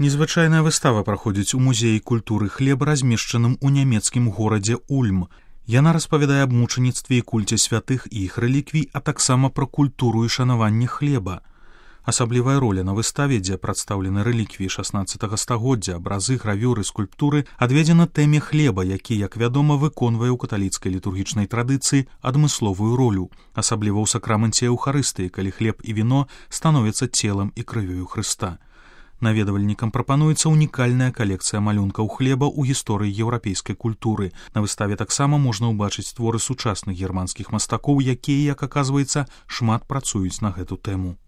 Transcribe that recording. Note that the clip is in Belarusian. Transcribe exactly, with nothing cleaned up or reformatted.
Незвычайная выстава праходзіць у музеі культуры хлеба, размешчаным у нямецкім горадзе Ульм. Яна распавядае аб мучаніцтве і кульце святых і іх рэліквій, а таксама пра культуру і шанаванне хлеба. Асаблівая роля на выставе, дзе прадстаўлены рэліквіі шаснаццатага стагоддзя, абразы, гравюры, скульптуры, адведзена тэме хлеба, які, як вядома, выконвае ў каталіцкай літургічнай традыцыі адмысловую ролю, асабліва ў сакрамэнце Еўхарыстыі, калі хлеб і віно становяцца целам і крывёю Хрыста. Наведвальнікам прапануецца унікальная калекцыя малюнкаў хлеба ў гісторыі еўрапейскай культуры. На выставе таксама можна ўбачыць творы сучасных германскіх мастакоў, якія, як аказваецца, шмат працуюць на гэту тэму.